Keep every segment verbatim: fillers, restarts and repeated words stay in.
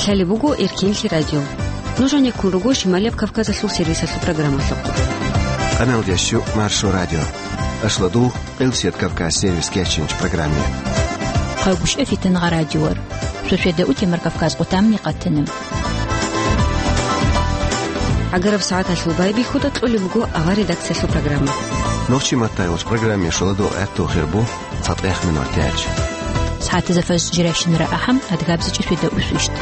Лъалеб буго Эркенлъи радио. Нуж гьанеккун руго Шималияб Кавказалъул сервисалъул программалъухъ. Къаналдящу Маршо радио. Ашладул, Къилсият Кавказ сервис кечинч программе. Хъагушев Фитангъа радиор. Шошеда утемар Кавказ къутамни къатана. ГӀагараб сагӀаталъул байбихьуда кьолеб буго авар редакциялъул программа. Нохчи маттайгъуш программе шоладул гӀатту хирбу. ЦатӀех минут тяч. СагӀатазда фаж жирайщинара ахӀам, адгабзичӀи фида усвищт.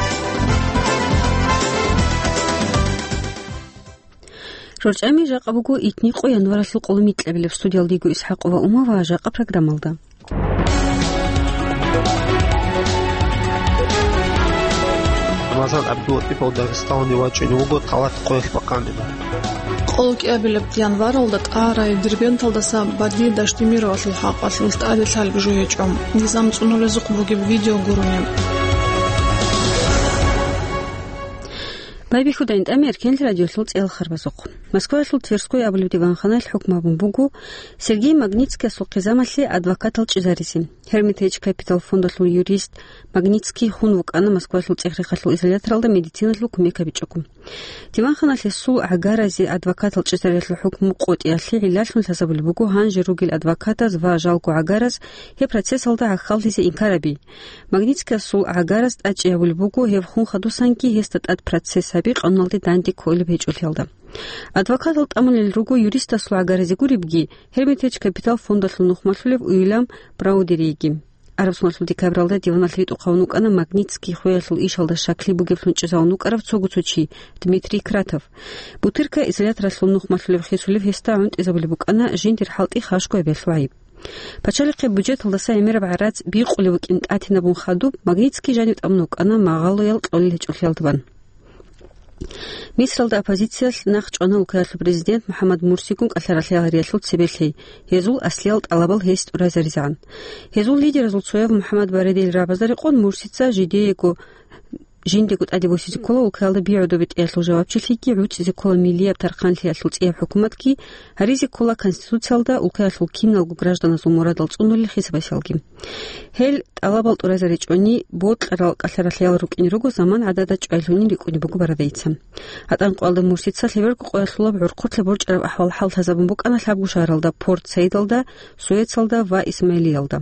РорчӀами жакъа буго итни къо январалъул къоло микьабилеб. Студиялдиго ИсхӀакъова Ума ва жакъа программалда. Рамазан ГӀабдулатӀипов Дагъистаналде вачӀине вуго талат къоялъ бахъанила. Къоло кӀиабилеб январалда тӀагӀарай Дербенталдаса Бади Даштемировалъул хӀакъалъулъ тӀаде лъалеб жо гьечӀо, низам цӀунулезухъ бугеб видео гурони. Байбихьудайин тӀами Эркенлъи радиолъул цӀел харбазухъ. Москваялъул Тверской абулеб диванханаялъ хӀукму гьабун буго Сергей Магнитскиясул хъизамалъе адвокатал чӀезаризе. Hermitage Capital фондалъул юрист Магнитский хун вукӀана Москваялъул цӀехрехалъул изоляторалда медициналъул кумек гьабичӀого. Диванханалъ гьесул гӀагаразе адвокатал чӀезариялъул хӀукму къотӀиялъе гӀиллалъун лъазабулеб буго гьанже ругел адвокатаз ва жалго гӀагараз гьеб процессалда гӀахьаллъизе инкар гьаби. Магнитскиясул гӀагараз тӀадчӀей гьабулеб буго гьеб хун хадусанги гьесда тӀад процесс гьаби къануналде данде кколеб гьечӀолъиялда. Адвокатал тӀамулел руго юристасул гӀагаразе гуребги, Hermitage Capital фондалъул нухмалъулев Уильям Браудериги. Араб соналъул декабралда диваналъ ритӀухъ гьавун вукӀана Магнитский хвеялъул ишалда щаклъи бугеблъун чӀезавун вукӀарав цого цо чи, Дмитрий Кратов. Бутырка изоляторалъул нухмалъулев хисулев гьесда гӀунтӀизабулеб букӀана жиндир хӀалтӀи хашго гьабиялъул гӀайиб. Пачалихъе бюджеталдаса гӀемераб гӀарац бикъулев вукӀин тӀатинабун хадуб, Магнитский жанив тӀамун вукӀана магъалоял кьолел гьечӀолъиялда бан. Мисралда оппозициялъ нахъ чӀвана улкаялъул президент МухӀаммад Мурсигун кӀалъаралъи гьариялъул цебе лъей, гьезул аслиял тӀалабал гьес тӀуразаризегӀан. Гьезул лидеразул цояв МухӀаммад Баредил рагӀабазда рекъон Мурсица жидеего, жиндего тӀаде босизе ккола улкаялда би гӀодобе тӀеялъул жавабчилъиги гӀуцӀизе ккола миллияб тархъанлъиялъул цӀияб хӀукуматги, гьаризе ккола конституциялда улкаялъул киналго гражданазул мурадал цӀунулел хисабасиялги. Гьел тӀалабал тӀуразаричӀони, бокьарал кӀалъаралъиял рукӀине руго заман гӀадада чӀвайлъунин рикӀкӀунеб буго Барадайица. ГьатӀан къоялда Мурсица лъеберго къоялъулаб гӀурхъулъа борчӀараб ахӀвал-хӀал лъазабун букӀана лъабго шагьаралда Порт-Саидалда, Суэцалда ва Исмаилиялда.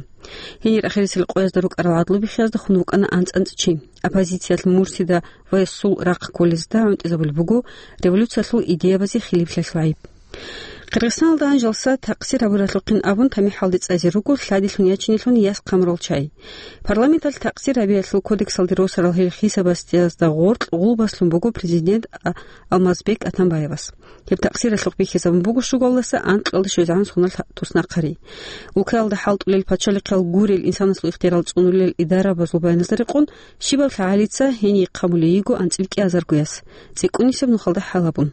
Гьенир ахирисел къоязда рукӀарал гӀадлу биххиязда хун вукӀана анцӀ-анцӀ чи. Оппозициялъ Мурсида ва гьесул рахъ кколезда гӀунтӀизабулеб буго революциялъул идеябазе хилиплъиялъул гӀайиб. Къиргъизстаналда гьанжалса такъсир гьабуралъухъин абун тамихӀалде цӀазе руго лъадилъун ячинелъун яс хъамурал чагӀи. Парламенталъ такъсир гьабиялъул кодексалде росарал гьел хисабасдиязда гъоркь гъулбаслъун буго президент А-, Алмазбек Атамбаевас. Гьеб такъсиралъухъ бихьизабун буго щугалдаса анкьалда щвезегӀан соналъ туснахъари. Улкаялда хӀалтӀулел пачалихъал гурел инсанасул ихтиярал цӀунулел идарабазул баяназда рекъон, щибаб лъагӀалица гьение хъамулей йиго анцӀила кӀиазарго яс, цӀикӀкӀунисеб нухалда хӀал гьабун.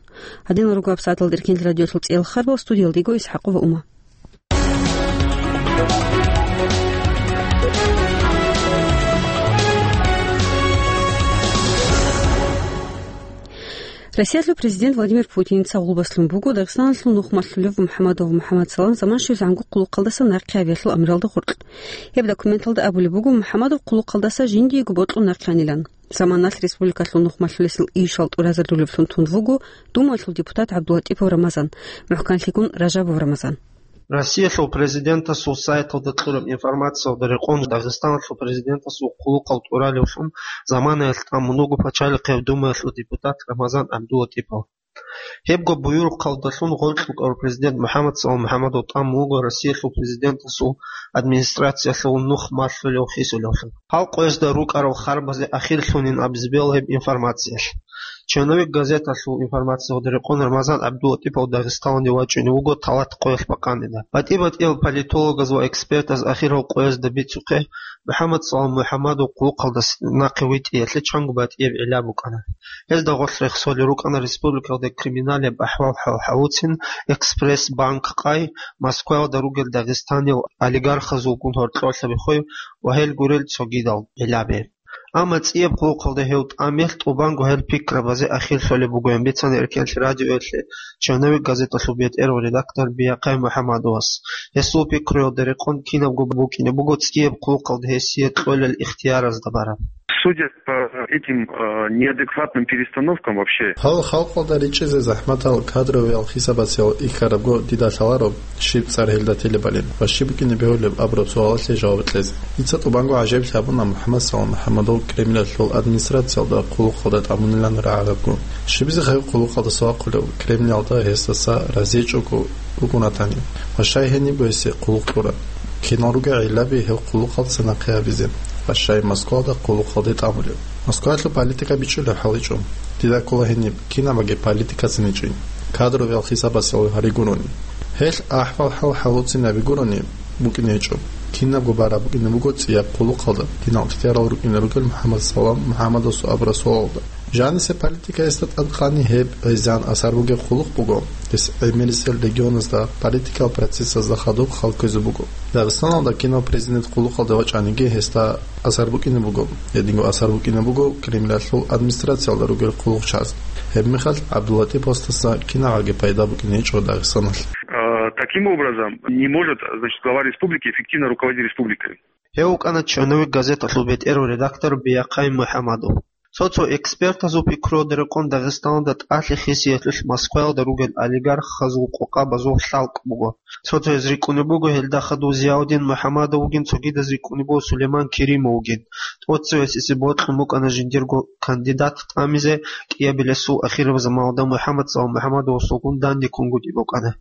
Гьадинал руго гьабсагӀаталда Деркент радиолъул цӀел харбал, студиялдиго ИсхӀакъова Ума. Россиялъул президент Владимир Путиница гъулбаслъун буго Дагъистаналъул нухмалъулев МухӀаммадов МухӀаммад Салам заман щвезегӀанго хъулухъалдаса нахъе гьабиялъул амралда гъоркь. Гьеб документалда абулеб буго МухӀаммадов хъулухъалдаса жиндиего бокьун нахъе анилан. Заманалъ республикалъул нухмалъулесул ишал тӀуразарулевлъун тун вуго Думаялъул депутат ГӀабдулатӀипов Рамазан, мухӀканлъигун Ражабов Рамазан. Россиялъул президентасул сайталда кьураб информациялда рекъон, Дагъистаналъул президентасул хъулухъал тӀуралевлъун заманаялъ тӀамун вуго Пачалихъияб Думаялъул депутат Рамазан ГӀабдулатӀипов. Гьебго буюрухъалдалъун гъоркь рукӀарав президент МухӀаммад Салам МухӀаммадов тӀамун вуго Россиялъул президентасул администрациялъул нухмалъулев хисулевлъун. Гьал къоязда рукӀарал харбазе ахирлъунин абизе бегьула гьеб информациялъ. Черновик газеталъул информациялда рекъон, Рамазан ГӀабдулатӀипов Дагъистаналде вачӀине вуго талат къоялъ бахъанила. БатӀи-батӀиял политологаз ва экспертаз ахирал къоязда бицухъе, МухӀаммад Салам МухӀаммадов хъулухъалдаса нахъе витӀиялъе чанго батӀияб гӀилла букӀана. Гьезда гъорлъ рехсолел рукӀана республикалда криминалияб ахӀвал-хӀал гьавуцин, Экспресс-банк къай, Москваялда ругел дагъистаниял олигархазулгун гьоркьорлъаби хвей ва гьел гурел цогидал гӀиллаби. Амма цӀияб хъулухъалда гьев тӀамелъ тӀубанго гьел пикрабазе ахирлъулеб бугоян бицана Эркенлъи радиоялъе Черновик газеталъул бетӀергьан редактор Биякъай МухӀаммадовас. Гьесул пикруялда рекъон, кинабго букӀине буго цӀияб хъулухъалда гьесие кьолел ихтияразда бараб. Судя по этим, э, неадекватным перестановкам вообще. Гьал халкъалда ричӀчӀизе захӀматал кадровиял хисабациял ихьарабго дида лъаларо, щиб цӀар гьелда телебали ва щиб букӀине бегьулеб абураб суалалъе жаваб кьезе. Дица тӀубанго гӀажаиблъи гьабуна МухӀаммад Салам МухӀаммадов Кремлалъул администрациялда хъулухъалда тӀамунилан рагӀарабго. Щибизе гьев хъулухъалдаса вахъулев, Кремлалда гьесдаса разиечӀого рукӀун ратани, ва щай гьенибго гьесие хъулухъ кьураб? Кинал ругел гӀиллаби гьев хъулухъалдаса нахъе гьабизе ва щай Москвалда хъулухъалде тӀамулев? Москвалъул политика бичӀчӀулеб хӀал гьечӀо. Дида ккола гьениб кинабаги политикацин гьечӀин, кадровиял хисабасел гьари гурони. Гьелъ ахӀвал-хӀал хӀалуцин гьаби гурони букӀине гьечӀо. Кинабго бараб букӀине буго цӀияб хъулухъалда, кинал ихтиярал рукӀине ругел МухӀаммад Салам МухӀаммадасул абураб суалалда. Жанисе политикаялда тӀадкъани гьеб гӀезегӀан асар бугеб хъулухъ буго, гьес гӀемерисел регионазда политикал процессазда хадуб хал ккезе буго. Дагъистаналда кинав президент хъулухъалде вачӀаниги гьесда асар букӀине буго, гьединго асар букӀине буго Кремлалъул администрациялда ругел хъулухъчиясда. Гьеб мехалъ ГӀабдуллатиповасдаса кинабаги пайда букӀине гьечӀо Дагъистаналъ. А, таким образом, не может, значит, глава республики эффективно руководить республикой. Гьев вукӀана «Черновик» газеталъул бетӀерав редактор Биахъай МухӀамадов. Цо-цо экспертазул пикруялда рекъон Дагъистаналда тӀалъи хисиялъулъ Москваялда ругел олигархазул къокъабазул хӀалкӀ буго. Цо-цояз рикӀкӀунеб буго гьелда хадув Зиаудин МухӀамадов вугин, цогидаз рикӀкӀунеб буго Сулейман Керимов вугин. ТӀоцевесизе бокьун букӀана жиндирго кандидат тӀамизе, кӀиабилебсул ахираб заманалда МухӀаммад Салам МухӀаммадовасулгун данде ккунгутӀи букӀана.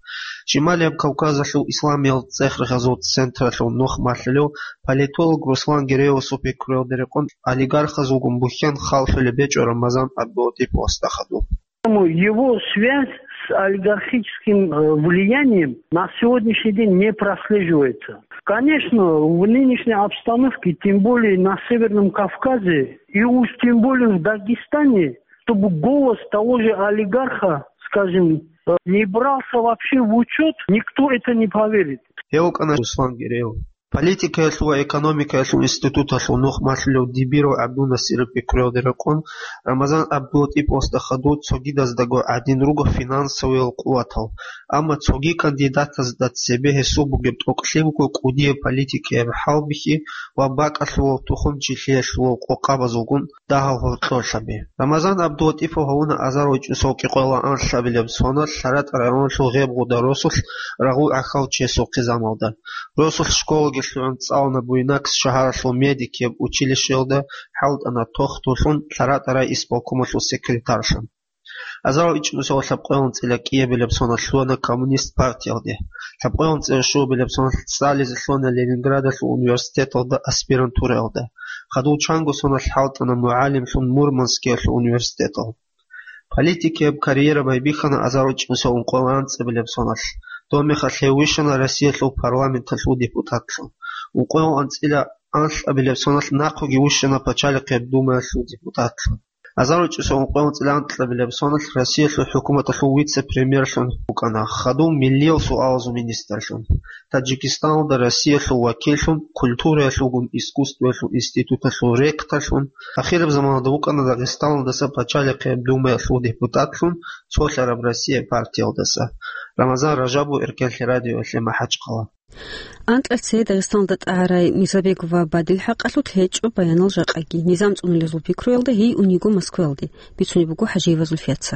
Шималияб Кавказалъул исламиял цӀех-рехазул централъул нух малъулев политолог Руслан Гереевасул пикруялда рекъон олигархазулгун бухьен халлъулеб гьечӀо Рамазан ГӀабдулатиповасда хадуб. Поэтому его связь с олигархическим, э, влиянием на сегодняшний день не прослеживается. Конечно, в нынешней обстановке, тем более на Северном Кавказе, и уж тем более в Дагестане, чтобы голос того же олигарха, скажем, э, не брался вообще в учет, никто это не поверит. Гьев вукӀана Руслан Гереев. Политикаялъул ва экономикаялъул институталъул нух малъулев Дибиров ГӀабдулнасиров пикруялда рекъон, Рамазан ГӀабдулатиповасда хадув цогидаздаго гӀадин руго финансовиял къуватал, амма цоги кандидатазда цебе гьесул бугеб тӀокӀлъи буго кӀудияб политикаяб хӀалбихьи ва бакӀалъулав тухум-чилъиялъулав къокъабазулгун дагьал гьоркьорлъаби. Рамазан ГӀабдулатипов гьавуна азарвачӀусал кӀикъоялда анлъабилеб соналъ ЛъаратӀа районалъул Гъебгъуда росулъ рагъул гӀахьал чиясухъе замалда. Росулъ школаги лъугӀун цӀалуна Буйнакск шагьаралъул медикияб училищеялда, хӀалтӀана тохтуллъун ЛъаратӀа райисполкомалъул секретарьлъун. Азарал ичӀнусиялда лъабкъоялда анцӀила кӀиабилеб соналъ лъугьана Коммунист партиялде. Лъабкъоялда анцӀила щуабилеб соналъ цӀализе лъугьана Ленинградалъул университеталда аспирантуралда. Хадув чанго соналъ хӀалтӀана мугӀалимлъун Мурманскиялъул университеталда. Политикияб карьера байбихьана азарал ичӀнусиялда ункъоялда анцӀабилеб соналъ. Доб мехалъ гьев вищана Россиялъул парламенталъул депутатлъун. Ункъоялда анцӀила анлъабилеб соналъ нахъеги вищана Пачалихъияб Думаялъул депутатлъун. Азарал ичӀнусиялда ункъоялда анцӀила анкьабилеб соналъ Россиялъул хӀукуматалъул вице-премьерлъун вукӀана, хадув миллиял суалазул министрлъун. Таджикистаналда Россиялъул вакиллъун, культураялъулгун искусствоялъул институталъул ректорлъун, ахираб заманалда вукӀана Дагъистаналдаса Пачалихъияб Думаялъул депутатлъун, цолъараб Россия партиялдаса. Рамазан Ражабов, Эркенлъи радиоялъе, МахӀачхъала. Анкьа цее Дагъистаналда тӀагӀарай Мирзабегов ва Бадил хӀакъалъулъ гьечӀо баянал жакъаги. Низам цӀунулезул пикруялда гьей униго Москваялде, бицунеб буго ХӀажиева Зульфияца.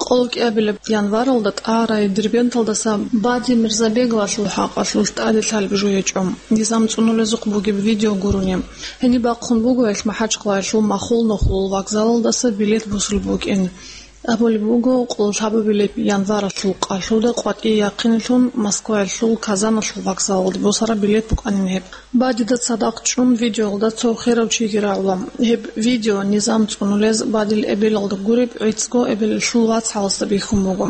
Къолкьиабилеб январалда тӀагӀарай Дербенталдаса Бадил Мирзабеговалъул хӀакъалъулъ тӀаде лъалеб жо гьечӀо, низам цӀунулезухъ бугеб видео гурони. Гьениб бахъун буго гьелъ МахӀачхъалаялъул Махул-Нохулал вокзалалдаса билет босулеб букӀин. Абулеб буго, къоло лъабабилеб январалъул къалъуда къватӀие яхъинилъун Москваялъул Казаналъул вокзалалде босараб билет букӀанин гьеб. Бадида цадахъ чӀун видеоялда цо херав чиги рагӀула. Гьеб видео низам цӀунулез Бадил эбелалда гуреб гӀицӀго эбелалъул вацгӀаласда бихьун буго.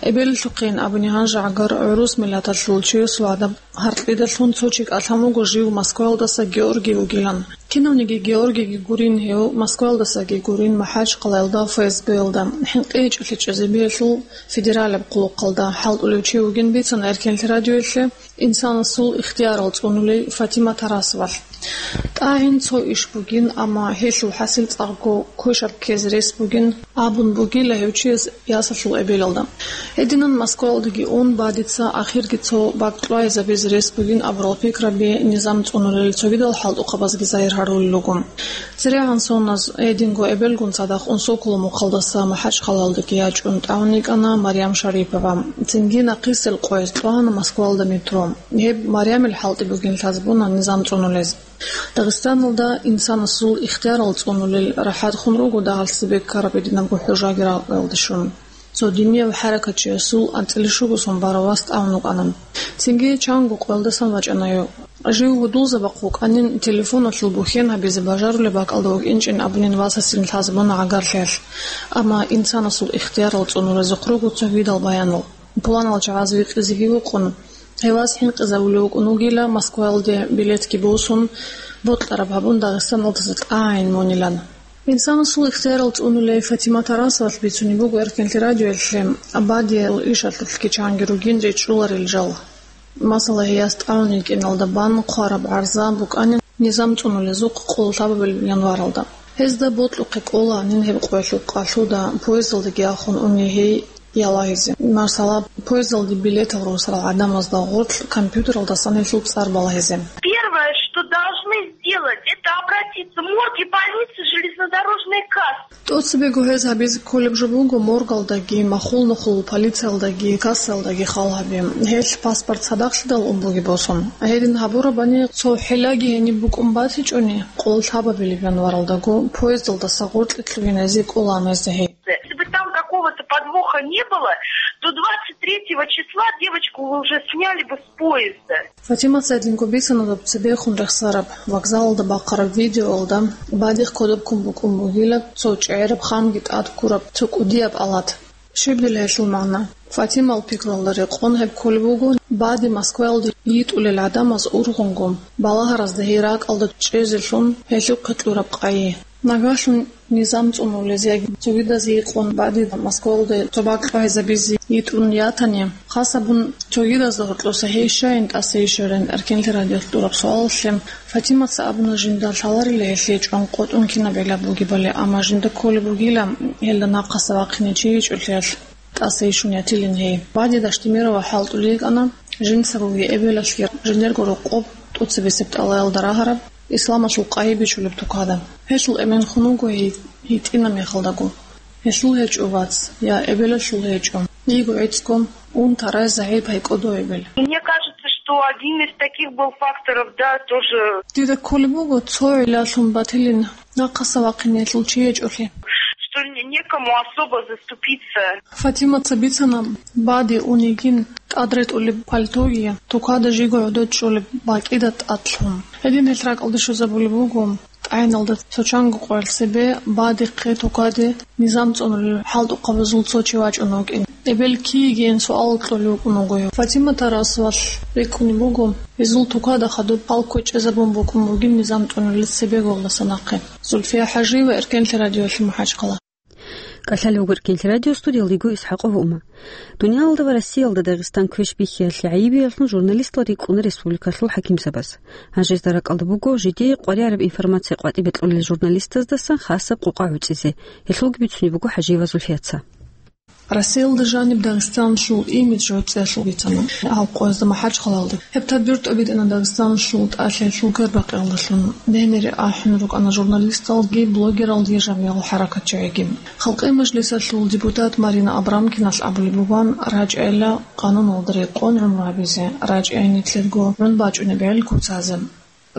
Эбелалъухъейин абуни гьанже гӀагар гӀурус миллаталъул чиясул гӀадаб гьаркьидалъун цо чи кӀалъан вуго жив Москваялдаса Георгий вугилан. Кинавниги Георгийги гурин гьев, Москваялдасаги гурин МахӀачхъалаялда ФСБ-ялда, хӀинкъи гьечӀолъи чӀезабиялъул федералияб хъулухъалда хӀалтӀулев чи вугин бицана Эркенлъи радиоялъе инсанасул ихтиярал цӀунулей Фатима Тарасовалъ. ТӀагӀин цо иш бугин, амма гьелъул хӀасил цӀакъго квешаб ккезе рес бугин, абун бугила гьев чияс ясалъул эбелалда. Гьединан Москваялдаги ун, Бадица ахирги цо бакӀ кьвайзабизе рес бугин абурал пикраби низам цӀунулел цогидал хӀалтӀухъабазги загьир гьарулел руго. ЦерегӀан соназ гьединго эбелгун цадахъ унсокула мухъалдаса МахӀачхъалаялдаги ячӀун тӀагӀун йикӀана Марьям Шарипова. Цинги нахъисел къвайз кьвана Москваялда метро. Гьеб Марьямил хӀалтӀи бугин лъазабуна низам цӀунулез. Дагъистаналда инсанасул ихтиярал цӀунулел рахӀатхун руго дагьалъи беккараб гьединабго хӀужаги ракӀалде щун. Цо динияв хӀаракатчиясул анцӀила щуго сон барав вас тӀагӀун вукӀана. Цинги чанго къоялдасан вачӀана гьев. Жив гьудулзабахъ вукӀанин, телефоналъул бухьен гьабизе бажарулеб бакӀалда вукӀинчӀин абунин васасин лъазабуна гӀагарлъиялъ. Амма инсанасул ихтиярал цӀунулезухъ руго цогидал баянал. Пуланал чагӀаз викьизеги вукъун, гьев вас хӀинкъизабулев вукӀун вугила, Москваялде билетги босун, бокьараб гьабун Дагъистаналдаса тӀагӀин мунилан. Инсанасул ихтиярал цӀунулей Фатима Тарасовалъ бицунеб буго Эркенлъи радиоялъе, Бадиял ишалъулъги чанги ругин речӀчӀуларел жал. Масала, гьияс тӀагӀун йикӀиналда бан хъвараб гӀарза букӀанин низам цӀунулезухъ къоло лъабабилеб январалда. Гьезда бокьухъе кӀолаанин гьеб къоялъул къалъуда поездалдаги ахун уни гьей ялагьизе. Масала, поездалде билетал росарал гӀадамазда гъорлъ компьютералдасан гьелъул цӀар балагьизе. Первое, что должны сделать, это обратиться в морг и больницы, железнодорожные кассы. ТӀоцебего гьез гьабизе кколеб жо буго моргалдаги, махул нухул полициялдаги, кассаялдаги хал гьаби. Гьелъ паспорт цадахълъидал ун бугеб босун. Гьедин гьабурабани, цо хӀилаги гьениб букӀун батичӀони, къоло лъабабилеб январалдаго поездалдаса гъоркье лъугьиназе кӀолаан гьезда гьей. Если бы там какого-то подвоха не было, то двадцать третьего числа девочку вы уже сняли бы с поезда. Фатимаца гьединго бицана доб цебехун рехсараб, вокзалалда бахъараб видеоялда, Бадихъ кодоб ккун букӀун бугила цо чӀегӀераб ханги тӀад ккураб цо кӀудияб алат. Щиб дила гьелъул магӀна? Фатимал пикралда рекъон гьеб кколеб буго, Бади Москваялде йитӀулел гӀадамаз ургъунго, балагьаразда гьей ракӀалда чӀезелъун гьелъухъе кьураб къайи. Нагагьлъун низам цӀунулез яги цогидазе йикъун Бади Москваялде цо бакӀ кьвайзабизе йитӀун ятани, хасабун цогидазда гьоркьоса гьей щайин тӀаса йищарин Эркенлъи радиоялъ кьураб суалалъе Фатимаца абуна, жинда лъаларила гьелъие чӀван къотӀун кинаб гӀилла бугебали, амма жинда кколеб бугила гьелда нахъаса вахъине чи йичӀолъиялъ тӀаса йищун ятилин гьей. Бади Дашдемирова хӀалтӀулев йикӀана, жинцаго эбелалъги жиндирго рокъоб тӀоцебесеб тӀалаялда рагьараб, исламалъул къайи бичулеб тукада. Гьелъул эмен хун вуго гьей гьитӀинаб мехалдаго. Гьелъул гьечӀо вац, я эбелалъул гьечӀо. Йиго гӀицӀго, ун тарай загӀип гьай кӀодо эбел. Мне кажется, что один из таких был факторов, да, тоже. Дида кколеб буго цо гӀиллалъун батилин нахъаса вахъинелъул чи гьечӀолъи. Что не-, некому особо заступиться. Фатимаца бицана, Бади ун йигин тӀад ретӀулеб пальтоги, тукада жиго гӀодов чӀолеб бакӀида тӀад лъун. Гьедин гьелъ ракӀалде щвезабулеб буго. ТӀагӀиналда цо чанго къоялъ цебе Бадихъе тукаде низам цӀунулел хӀалтӀухъабазул цо чи вачӀун вукӀин. Эбел кий йигейин суал кьолев вукӀун вуго гьев. Фатима Тарасовалъ рикӀкӀунеб буго, гьезул тукада хадуб хал кквечӀезабун букӀун бугин низам цӀунулел цебеголдаса нахъе. Зульфия ХӀажиева, Эркенлъи радиоялъе, МахӀачхъала. КӀалъалев вуго Эркенлъи радио, студиялда йиго ИсхӀакъова Ума. Дуниялалда ва Россиялда Дагъистан квеш бихьиялъе гӀайибиялъун журналистал рикӀкӀуна республикалъул хӀакимзабаз. Гьанже гьезда ракӀалда буго жидее къваригӀараб информация къватӀибе кьолел журналистаздасан хасаб къокъа гӀуцӀизе. Гьелъулги бицунеб буго ХӀажиева Зульфияца. Россиялда жаниб Дагъистаналъул имидж гӀуцӀиялъул бицана гьал къоязда МахӀачхъалаялда. Гьеб тадбир тӀобитӀана Дагъистаналъул тӀалъи-лъугар бакъиялдалъун. Дегьнире ахӀун рукӀана журналисталги, блогералги, жамигӀал хӀаракатчагӀиги. Халкъи мажлисалъул депутат Марина Абрамкиналъ абулеб бугоан, рачӀайилан къануналда рекъон гӀумру гьабизе, рачӀайин нилъерго гӀун бачӀунеб гӀел куцазе.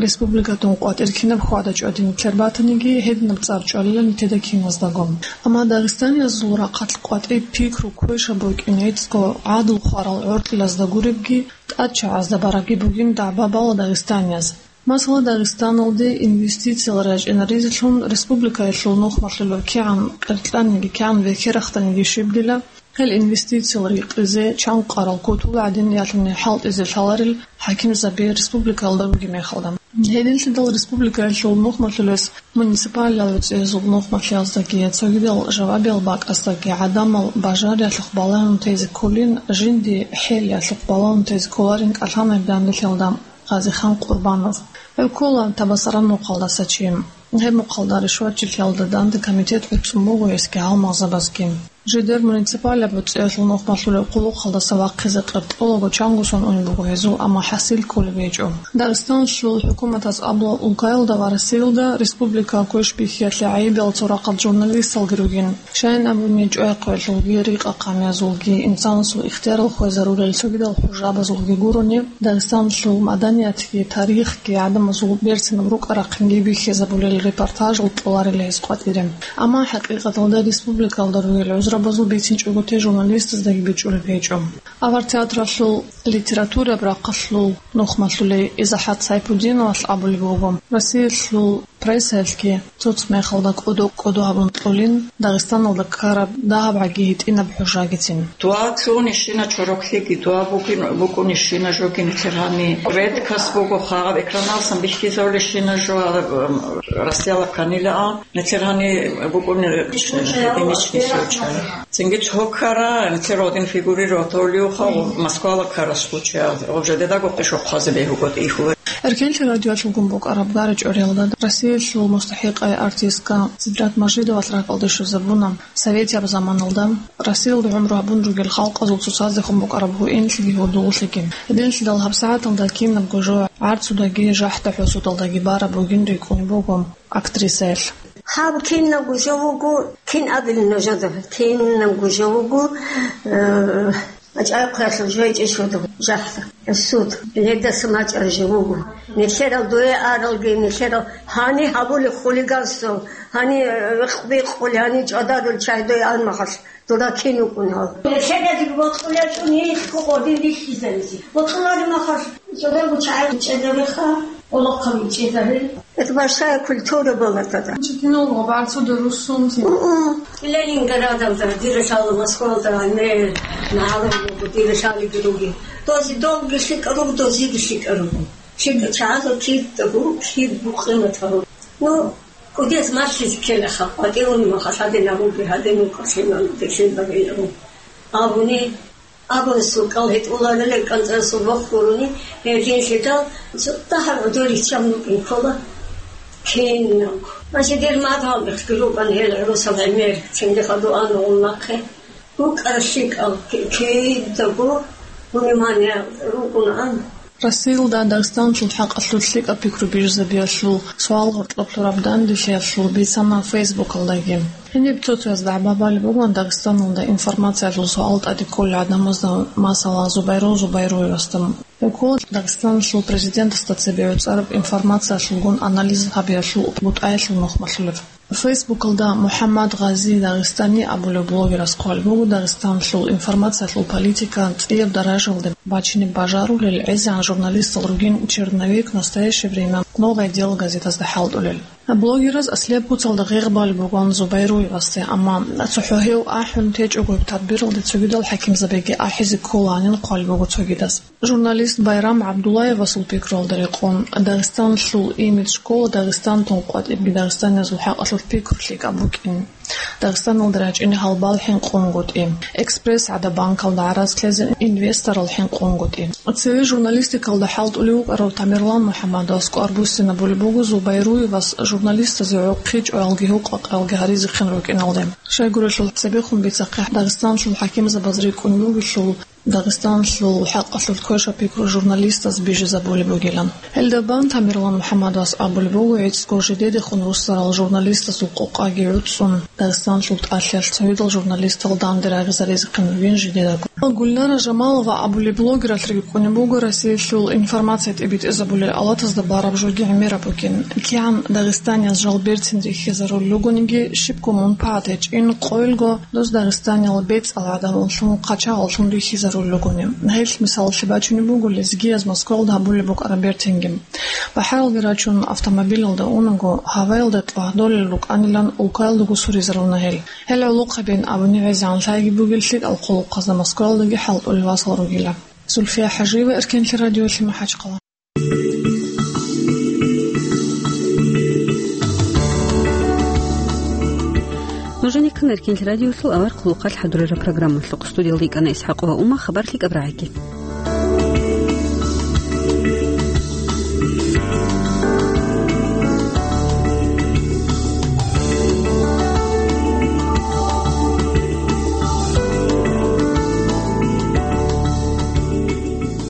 Республикатун къватӀир кинаб хьвада-чӀвади нилъер батаниги, гьединаб цӀар чӀвалила нилъеда киназдаго. Амма дагъистаниязул рахъалъ къватӀиб пикру квешаб букӀин гӀицӀго гӀадлу хварал гӀоркьилазда гуребги, тӀадчагӀазда барабги бугин дагӀба бала дагъистанияз. Масала, Дагъистаналде инвестициял рачӀинаризелъун республикаялъул нухмалъулев кигӀан къеркьаниги, кигӀан вехерахданиги щибдила, гьел инвестициял рекъизе чанкъарал кутул гӀадин ялъуни хӀалтӀизе лъаларел хӀакимзаби республикаялда ругеб мехалда. Гьединлъидал республикаялъул нухмалъулес муниципалияб гӀуцӀиязул нухмалъияздаги, цогидал жавабиял бакӀаздаги гӀадамал бажариялъухъ балагьун тезе кколин, жинди хӀелиялъухъ балагьун тезе кколарин кӀалъана гьеб данделъиялда. Гъазихан Къурбанов. Гьев ккола Табасаран мухъалдаса чи. Гьеб мухъалда ришватчилъиялда данде комитет гӀуцӀун буго гьесги гьалмагъзабазги. Жидер муниципалияб боцӀиялъул нухмалъулеб хъулухъалдаса вахъизе къеркьолаго чанго сон унеб буго гьезул, амма хӀасил кколеб гьечӀо. Дагъистаналъул хӀукуматас абула, улкаялда ва Россиялда республикаялъул квеш-бихьиялъе гӀайибал цо рахъалъ журналисталги ругин. Щайин абуни, чӀвай-хъвелъулги, рикъа-хъамиязулги, инсанасул ихтиярал хвезарулел цогидал хӀужабазулги гурони, Дагъистаналъул маданиятги тарихги гӀадамазул берцинаб рукӀа-рахъинги бихьизабулел репортажал кьоларила гьез къватӀире. Амма хӀакъикъаталда республикаялда ругел гӀузрабазул бицинчӀого те журналистаздаги бичӀчӀулеб гьечӀо. Авар театралъул литератураб рахъалъул нухмалъулей ИзахӀат Сайпудиновалъ абулеб буго, Россиялъул прессаялъги цоцӀ мехалда кӀодо-кӀодо гьабун кьолин Дагъистаналда ккараб дагьаб гӀаги гьитӀинаб хӀужагицин. Дуа лъугьунищина чороклъиги, дуа бугин, букӀунищина жоги нилъер гьани. Редкость буго, хагъаб экранал сан бихьизавулищина жо, а, м, Россиялда кканилаан, нилъер гьани букӀуни, э, единичный случай. Цинги цо ккара, нилъер один фигурировать гьавулевха, Москвала ккара случай, уже дедаго къишохъазе бегьуго тӀихьула. Эркенлъи радиоялъулгун букӀараб гара-чӀвариялда Россиялъул мустахӀикъай артистка Сидрат Мажидовалъ ракӀалде щвезабуна. Советияб заманалда Россиялда гӀумру гьабун ругел халкъазул цоцаздехун букӀараб гьуинлъиги гьудуллъиги. Гьединлъидал гьабсагӀаталда кинабго жо гӀарцудаги жахӀда-хӀусудалдаги бараб бугин рикӀкӀунеб буго актрисаялъ. Гьаб кинабго жо вуго, кин абилин нужеда, кинабго жо вуго, э, АчӀай-хъвелъул жойчӀищ вуго жахӀда, суд, гьелдаса мачӀараб жо вуго. Нилъерал дуе аралги, нилъерал гьани гьабулеб хулиганствал, гьани, э, вихъ-бикъули, гьани чӀадарул чай дуе ан махалъ, дура кин вукӀун гьав. Нилъедаги бокьулечӀо нилъго къодин бихьизаризе. Бокьулареб махалъ, чӀадарго чагӀи чӀезареха. Олохъаб ичӀезари. Это большая культура была тогда. Чи киналго барцуда русунти. Мгм. Ленинградалда, дир лъала Москвалда, гӀемер, магӀарулго, дир лъалиги руги. Дози долги лъикӀа руго, дозиги лъикӀа руго. ЛъикӀа чагӀазул кидаго, киб букъинатал. Ну, кӀудияз малъизе ккелаха, къватӀивун махалъ гьадинабуги, гьадин вукӀа лъимал, дехин багиябу. Абуни, Абун сукъал гьитӀуларила кӀанцӀарасул бохь гурони, гьединлъидал цо дагьаб гӀодор риччан букӀин ккола кинабго. Значит, дир мадгӀал бихъги рукӀана гьел гӀурусал гӀемер, цинги хадуан гъун нахъе. БукӀараб лъикӀал ки-, кидаго внимание рукӀунаан. Россиялда Дагъистаналъул хӀакъалъулъ лъикӀаб пикру бижизабиялъул суал гъоркьоб лъураб данделъиялъул бицана Фейсбукалдаги. Гьениб цо-цояз дагӀба балеб бугоан Дагъистаналда информациялъул суал тӀаде кколел гӀадамазда, масала, Зубайру Зубайруевасда. Гьев ккола Дагъистаналъул президентасда цебе гӀуцӀараб информациялъулгун анализ гьабиялъул бутӀаялъул нухмалъулев. Фейсбукалда МухӀаммад Гъази Дагъистани абулев блогерас хъвалеб буго Дагъистаналъул информациялъул политика цӀияб даражалде бачине бажарулел гӀезегӀан журналистал ругин «Черновик», «Настоящее время», «Новое дело» газетазда хӀалтӀулел. Блогераз аслияб куцалда гъегъ балеб бугоан Зубайруевасде, амма цохӀо гьев ахӀун течӀого гьеб тадбиралде цогидал хӀакимзабиги ахӀизе кколаанин хъвалеб буго цогидаз. Журналист Байрам ГӀабдуллаевасул пикруялда рекъон, Дагъистаналъул имидж ккола Дагъистантун къватӀибги дагъистаниязул хӀакъалъулъ пикру лъикӀаб букӀин. Дагъистаналда рачӀине гьалбал хӀинкъунгутӀи, «Экспресс» гӀадаб банкалда гӀарац лъезе инвесторал хӀинкъунгутӀи. Цеве журналистикалда хӀалтӀулев вукӀарав Тамерлан МухӀаммадовас кӀвар буссинабулеб буго Зубайруевас журналистазе гӀохъи чӀваялги гьукъакъалги гьаризехъин рукӀиналде. Щайгурелъул цебехун бицахъе Дагъистаналъул хӀакимзабаз рикӀкӀун бугелъул, Дагъистаналъул хӀакъалъулъ квешаб пикру журналистаз бижизабулеб бугилан. Гьелда бан Тамерлан МухӀаммадовас абулеб буго, гӀицӀго жидедехун руссарал журналистазул къокъаги гӀуцӀун, Дагъистаналъул тӀалъиялъ цогидал журналистал данде рагъизаризехъин ругин жидедаго. Гульнара Жамалова абулеб блогералъ рикӀкӀунеб буго Россиялъул информация тӀибитӀизабулел алатазда бараб жоги гӀемераб бугин. КигӀан дагъистанияз жал берцин рихьизарулел ругониги, щибго мунпагӀат гьечӀин къойилго дос дагъистаниял бецӀал гӀадамаллъун, хъачагъаллъун рихьизарулел ругони. Гьелъ мисалалъе бачунеб буго лезгияз Москвалда гьабулеб букӀараб бертинги. БахӀаралги рачун, автомобилалда унаго, гьаваялда тӀвагьдолел рукӀанилан улкаялдаго суризаруна гьел. Гьел гӀолохъабин абуни гӀезегӀан лъайги бугел лъикӀал хъулухъазда Москвалдаги хӀалтӀулел васал ругила. Зульфия ХӀажиева, Эркенлъи радиолъи, МахӀачхъала. Нуженикан Эркенлъи радиолъул авар хъулухъалъ хӀадурараб программалъухъ студиялда йикӀана ИсхӀакъова Ума, хабар лъикӀаб рагӀиги.